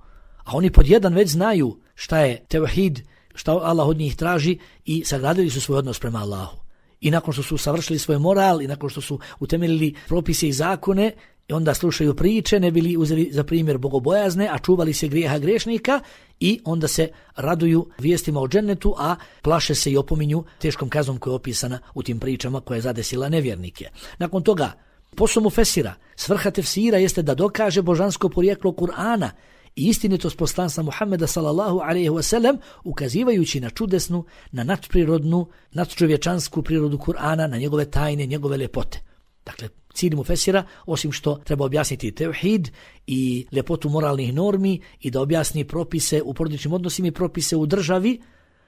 A oni pod jedan već znaju šta je tevhid, šta Allah od njih traži i sagradili su svoj odnos prema Allahu. I nakon što su savršili svoj moral i nakon što su utemeljili propise i zakone, i onda slušaju priče, ne bili uzeli za primjer bogobojazne, a čuvali se grijeha grešnika i onda se raduju vijestima o džennetu, a plaše se i opominju teškom kaznom koja je opisana u tim pričama koja je zadesila nevjernike. Nakon toga, posao Mufesira, svrha tefsira jeste da dokaže božansko porijeklo Kur'ana i istinitost poslanstva Muhammeda sallallahu alejhi ve sellem, ukazivajući na čudesnu, na nadprirodnu, nadčovječansku prirodu Kur'ana, na njegove tajne, njegove ljepote. Dakle, cilj Mufesira, osim što treba objasniti tevhid i ljepotu moralnih normi i da objasni propise u porodičnim odnosima i propise u državi,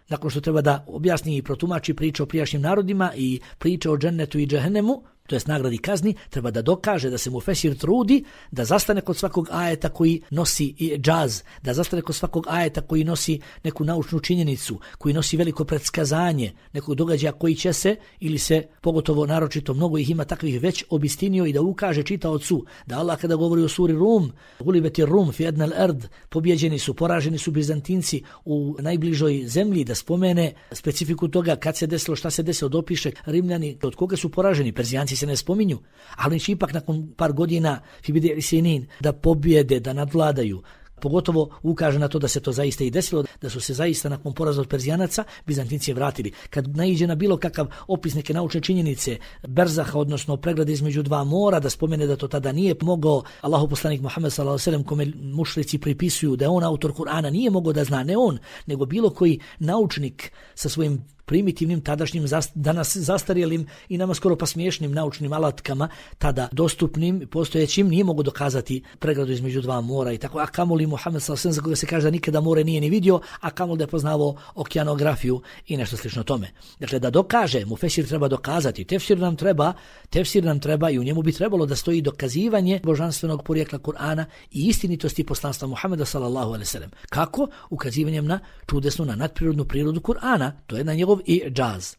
nakon što treba da objasni i protumači priče o prijašnjim narodima i priče o džennetu i džehennemu, to jest nagradi kazni, treba da dokaže da se Mufesir trudi da zastane kod svakog ajeta koji nosi i džaz, da zastane kod svakog ajeta koji nosi neku naučnu činjenicu, koji nosi veliko predskazanje nekog događaja koji će se, ili se pogotovo naročito mnogo ih ima takvih već obistinio, i da ukaže čitaocu da Allah kada govori o suri Rum, gulibeti Rum fi adnal ard, pobjeđeni su, poraženi su Bizantinci u najbližoj zemlji, da spomene specifiku toga kad se desilo, šta se desilo, dopiše Rimljani od koga su poraženi. Perzijanci se ne spominju, ali će ipak nakon par godina fibide sinin da pobjede, da nadvladaju. Pogotovo ukaže na to da se to zaista i desilo, da su se zaista nakon poraza od Perzijanaca Bizantinci vratili. Kad naiđe na bilo kakav opis neke naučne činjenice, berzaha, odnosno pregrade između dva mora, da spomene da to tada nije mogao Allahu poslanik Muhammed sallallahu alejhi ve sellem, kome mušrici pripisuju da je on autor Kur'ana, nije mogao da zna, ne on, nego bilo koji naučnik sa svojim primitivnim, tadašnjim, danas zastarjelim i nama skoro pa smiješnim naučnim alatkama, tada dostupnim, postojećim, nije mogu dokazati pregradu između dva mora i tako. A kamoli Muhammed sallallahu alejhi ve sellem, za koga se kaže da nikada more nije ni vidio, a kamoli da je poznavao okeanografiju i nešto slično tome. Dakle, da dokaže, Mufesir treba dokazati, tefsir nam treba, tefsir nam treba i u njemu bi trebalo da stoji dokazivanje božanstvenog porijekla Kur'ana i istinitosti poslanstva Muhammeda sallallahu alejhi ve sellem. Kako? Ukazivanjem na čudesnu, na nadprirodnu prirodu Kur'ana, to je na njegov i džaz.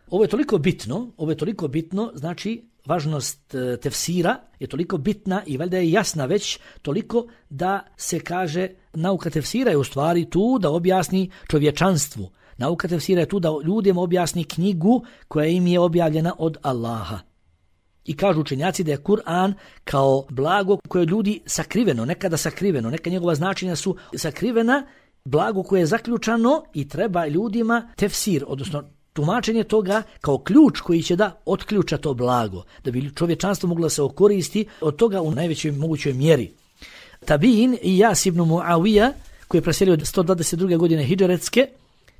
Ovo je toliko bitno, ovo je toliko bitno, znači važnost e, tefsira je toliko bitna i valjda je jasna već toliko da se kaže nauka tefsira je u stvari tu da objasni čovječanstvu. Nauka tefsira je tu da ljudima objasni knjigu koja im je objavljena od Allaha. I kažu učenjaci da je Kur'an kao blago koje ljudi sakriveno, nekada sakriveno, neka njegova značenja su sakrivena, blago koje je zaključano i treba ljudima tefsir, odnosno tumačenje toga kao ključ koji će da otključa to blago, da bi čovječanstvo moglo se okoristi od toga u najvećoj mogućoj mjeri. Tabiin Ijas ibn Muavija, koji je preselio sto dvadeset druge godine hidžretske,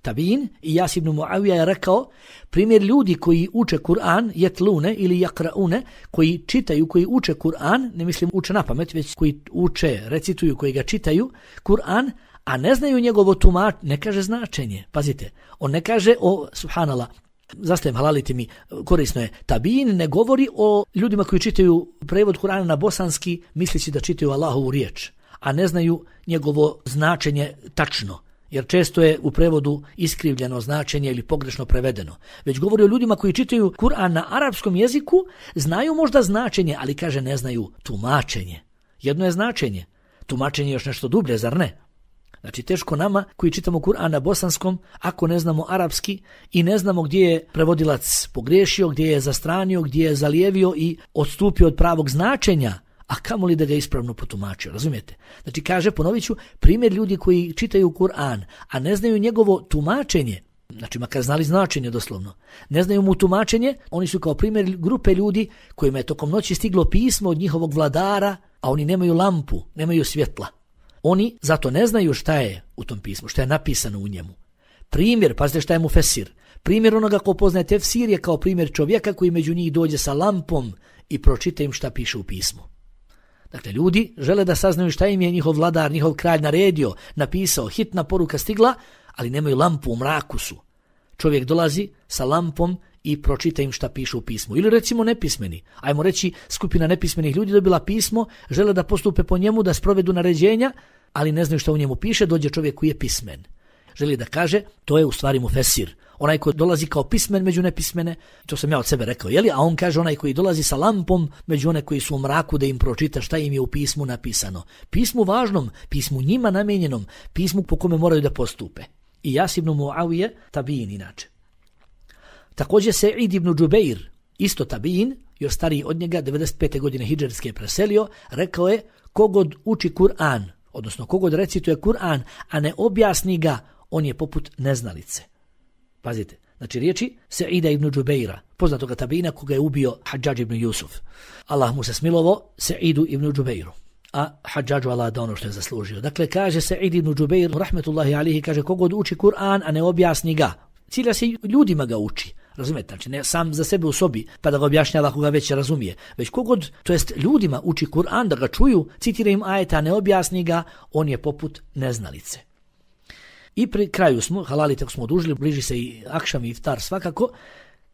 Tabiin Ijas ibn Muavija je rekao, primjer ljudi koji uče Kur'an, jetlune ili jakraune, koji čitaju, koji uče Kur'an, ne mislim uče na pamet, već koji uče, recituju, koji ga čitaju, Kur'an, a ne znaju njegovo tumačenje, ne kaže značenje, pazite, on ne kaže o, subhanallah, zastajem halalite mi, korisno je, Tabiin ne govori o ljudima koji čitaju prevod Kur'ana na bosanski, misleći da čitaju Allahovu riječ, a ne znaju njegovo značenje tačno, jer često je u prevodu iskrivljeno značenje ili pogrešno prevedeno. Već govori o ljudima koji čitaju Kur'an na arapskom jeziku, znaju možda značenje, ali kaže ne znaju tumačenje. Jedno je značenje, tumačenje je još nešto dublje, zar ne? Znači teško nama koji čitamo Kur'an na bosanskom, ako ne znamo arapski i ne znamo gdje je prevodilac pogriješio, gdje je zastranio, gdje je zalijevio i odstupio od pravog značenja, a kamoli da ga ispravno potumačio, razumijete? Znači kaže, ponovit ću, primjer ljudi koji čitaju Kur'an, a ne znaju njegovo tumačenje, znači makar znali značenje doslovno, ne znaju mu tumačenje, oni su kao primjer grupe ljudi kojima je tokom noći stiglo pismo od njihovog vladara, a oni nemaju lampu, nemaju svjetla. Oni zato ne znaju šta je u tom pismu, šta je napisano u njemu. Primjer, pazite šta je mu fesir. Primjer onoga ko poznaje tefsir je kao primjer čovjeka koji među njih dođe sa lampom i pročita im šta piše u pismu. Dakle, ljudi žele da saznaju šta im je njihov vladar, njihov kralj naredio, napisao, hitna poruka stigla, ali nemaju lampu, u mraku su. Čovjek dolazi sa lampom i pročita im šta piše u pismu. Ili recimo nepismeni. Ajmo reći, skupina nepismenih ljudi dobila pismo, žele da postupe po njemu, da sprovedu naređenja, ali ne znaju šta u njemu piše, dođe čovjek koji je pismen. Želi da kaže, to je u stvari mu fesir. Onaj koji dolazi kao pismen među nepismene, to sam ja od sebe rekao, jeli? A on kaže onaj koji dolazi sa lampom među one koji su u mraku da im pročita šta im je u pismu napisano. Pismu važnom, pismu njima namijenjenom, pismu po kome moraju da postupe. I Ijas ibn Muavije, Tabiin inače. Također Sa'id ibn Džubeir, isto Tabiin, još stariji od njega, devedeset pete godine hidžretske preselio, rekao je, kogod uči Kur'an, odnosno kogod recituje Kur'an, a ne objasni ga, on je poput neznalice. Pazite, znači riječi Sa'ida ibn Džubeira, poznatoga Tabiina koga je ubio Hadžadž ibn Jusuf. Allah mu se smilovo Sa'idu ibn Džubeiru, a Hadžadžu Allah da ono što je zaslužio. Dakle, kaže Sa'id ibn Džubeir, rahmetullahi alihi, kaže, kogod uči Kur'an, a ne objasni ga, cilja se ljudima ga uči. Razumijete, znači ne sam za sebe u sobi pa da ga objašnjava koga već razumije, već kogod, to jest ljudima uči Kur'an da ga čuju, citira im ajeta, ne objasni ga, on je poput neznalice. I pri kraju smo, halali tako smo odužili, bliži se i akšam i iftar svakako,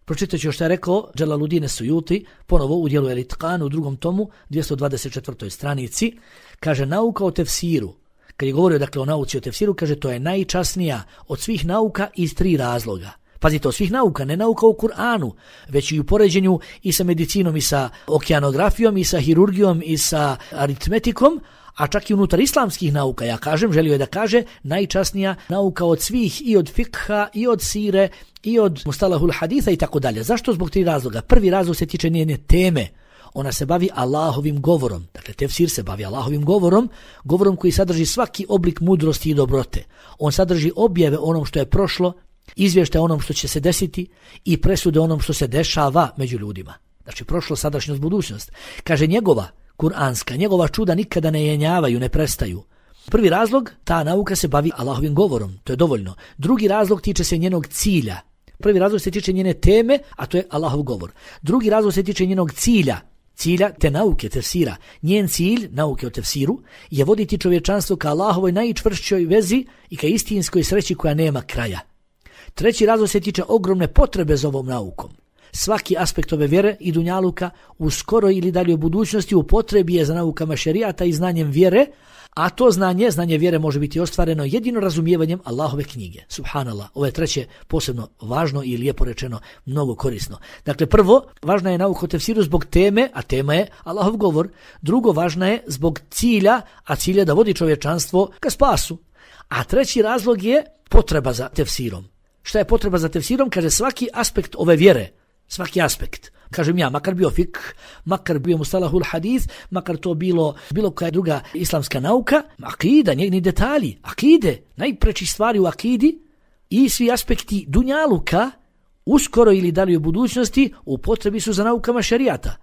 pročitat ću što je rekao Dželaludine Sujuti, ponovo u dijelu El-Itqan u drugom tomu, dvjesto dvadeset četvrtoj stranici, kaže nauka o tefsiru. Kad je govorio dakle o nauci o tefsiru, kaže to je najčasnija od svih nauka iz tri razloga. Pazite, od svih nauka, ne nauka u Kur'anu, već i u poređenju i sa medicinom, i sa okeanografijom, i sa hirurgijom, i sa aritmetikom, a čak i unutar islamskih nauka, ja kažem, želio je da kaže, najčasnija nauka od svih, i od fikha, i od sire, i od mustalahul haditha i tako dalje. Zašto? Zbog tri razloga. Prvi razlog se tiče njene teme. Ona se bavi Allahovim govorom. Dakle, tefsir se bavi Allahovim govorom, govorom koji sadrži svaki oblik mudrosti i dobrote. On sadrži objave onom što je prošlo, izvještaj onom što će se desiti i presude onom što se dešava među ljudima. Znači, prošlo, sadašnjost, budućnost. Kaže, njegova kuranska, njegova čuda nikada ne jenjavaju, ne prestaju. Prvi razlog, ta nauka se bavi Allahovim govorom, to je dovoljno. Drugi razlog tiče se njenog cilja. Prvi razlog se tiče njene teme, a to je Allahov govor. Drugi razlog se tiče njenog cilja, cilja te nauke, tefsira. Njen cilj, nauke o tefsiru, je voditi čovječanstvo ka Allahovoj najčvršćoj vezi i ka istinskoj sreći koja nema kraja. Treći razlog se tiče ogromne potrebe za ovom naukom. Svaki aspekt ove vjere i dunjaluka u skoroj ili daljoj budućnosti u potrebi je za naukama šerijata i znanjem vjere, a to znanje, znanje vjere može biti ostvareno jedino razumijevanjem Allahove knjige. Subhanallah, ovo je treće posebno važno i lijepo rečeno, mnogo korisno. Dakle, prvo, važna je nauka o tefsiru zbog teme, a tema je Allahov govor. Drugo, važna je zbog cilja, a cilj je da vodi čovječanstvo ka spasu. A treći razlog je potreba za tefsirom. Šta je potreba za tefsirom? Kaže, svaki aspekt ove vjere, svaki aspekt. Kažem ja, makar bio fik, makar bio mustalahul hadith, makar to bilo bilo koja druga islamska nauka, akida, njegni detalji, akide, najpreći stvari u akidi i svi aspekti dunjaluka, uskoro ili dalje u budućnosti, u potrebi su za naukama šerijata.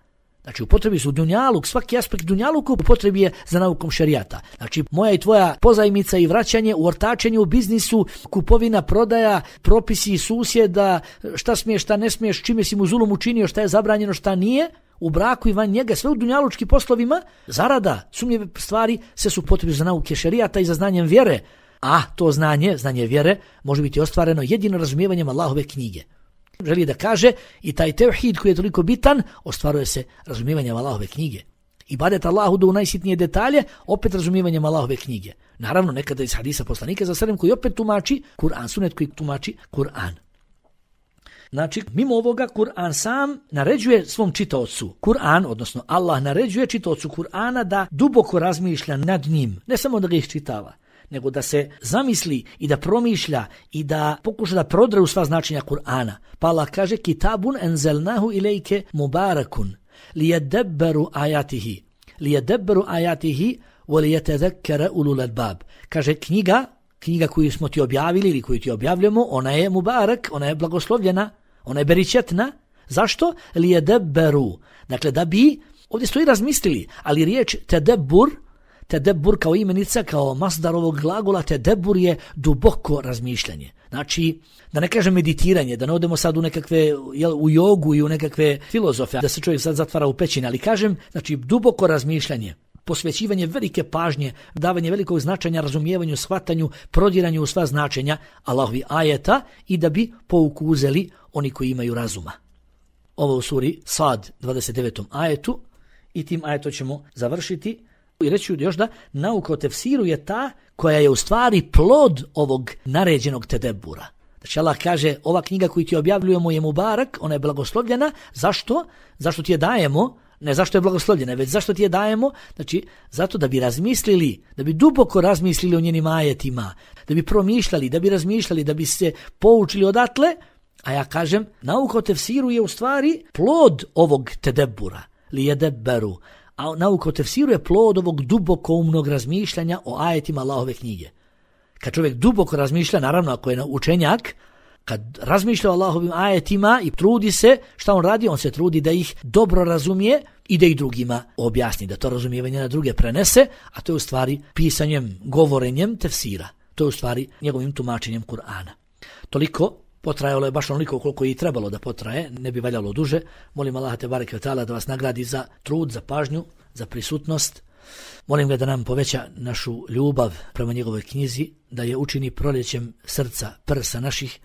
Znači upotrebi su dunjaluk, svaki aspekt dunjaluku upotrebi je za naukom šerijata. Znači moja i tvoja pozajmica i vraćanje, u ortačenje u biznisu, kupovina, prodaja, propisi susjeda, šta smiješ, šta ne smiješ, čime si mu zulum učinio, šta je zabranjeno, šta nije, u braku i van njega, sve u dunjalučkim poslovima, zarada, sumnjive stvari, sve su upotrebi za nauke šerijata i za znanjem vjere. A to znanje, znanje vjere, može biti ostvareno jedino razumijevanjem Allahove knjige. Želi da kaže i taj tevhid koji je toliko bitan, ostvaruje se razumijevanjem Allahove knjige. Ibadet Allahu do u najsitnije detalje, opet razumijevanjem Allahove knjige. Naravno, nekada iz hadisa poslanika za sallam koji opet tumači Kur'an, sunet koji tumači Kur'an. Znači, mimo ovoga, Kur'an sam naređuje svom čitaocu. Kur'an, odnosno Allah naređuje čitaocu Kur'ana da duboko razmišlja nad njim, ne samo da ga iščitava, nego da se zamisli i da promišlja i da pokuša da prodre u sva značenja Kur'ana. Pa Allah kaže kitabun enzelnahu ilejke mubarakun lijedebberu ajatihi lijedebberu ajatihi walijetedekere ulul albab. Kaže knjiga, knjiga koju smo ti objavili ili koju ti objavljamo, ona je mubarak, ona je blagoslovljena, ona je beričetna. Zašto? Lijedebberu. Dakle, da bi, ovdje stoji razmislili, ali riječ tedebbur, Tedebbur kao imenica, kao masdar ovog glagola, tedebbur je duboko razmišljanje. Znači, da ne kažem meditiranje, da ne odemo sad u nekakve, jel, u jogu i u nekakve filozofe, da se čovjek sad zatvara u pećine, ali kažem, znači, duboko razmišljanje, posvećivanje velike pažnje, davanje velikog značenja, razumijevanju, shvatanju, prodiranju u sva značenja Allahovi ajeta i da bi pouku uzeli oni koji imaju razuma. Ovo u suri Sad, dvadeset devetom ajetu, i tim ajetom ćemo završiti. I reći još da nauka o tefsiru je ta koja je u stvari plod ovog naređenog tedebbura. Znači Allah kaže, ova knjiga koju ti objavljujemo je mubarak, ona je blagoslovljena. Zašto? Zašto ti je dajemo? Ne zašto je blagoslovljena, već zašto ti je dajemo? Znači, zato da bi razmislili, da bi duboko razmislili o njenim ajetima, da bi promišljali, da bi razmišljali, da bi se poučili odatle. A ja kažem, nauka o tefsiru je u stvari plod ovog tedebbura, li jedebberu. A nauka o tefsiru je plod ovog dubokoumnog razmišljanja o ajetima Allahove knjige. Kad čovjek duboko razmišlja, naravno ako je učenjak, kad razmišlja o Allahovim ajetima i trudi se, šta on radi? On se trudi da ih dobro razumije i da ih drugima objasni, da to razumijevanje na druge prenese, a to je u stvari pisanjem, govorenjem tefsira. To je u stvari njegovim tumačenjem Kur'ana. Toliko. Potrajalo je baš onoliko koliko je i trebalo da potraje, ne bi valjalo duže. Molim Allaha te bareke ve taala da vas nagradi za trud, za pažnju, za prisutnost. Molim ga da nam poveća našu ljubav prema njegovoj knjizi, da je učini proljećem srca, prsa naših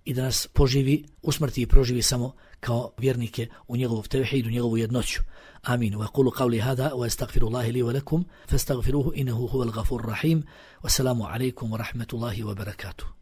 i da nas poživi, usmrti i proživi samo kao vjernike u njegovog tevhid, u njegovu jednoću. Amin. Wa qulu qawli hada wa astaghfirullaha li wa lakum fastaghfiruhu innahu huwal ghafurur rahim. Wassalamu alaykum wa rahmatullahi wa barakatuh.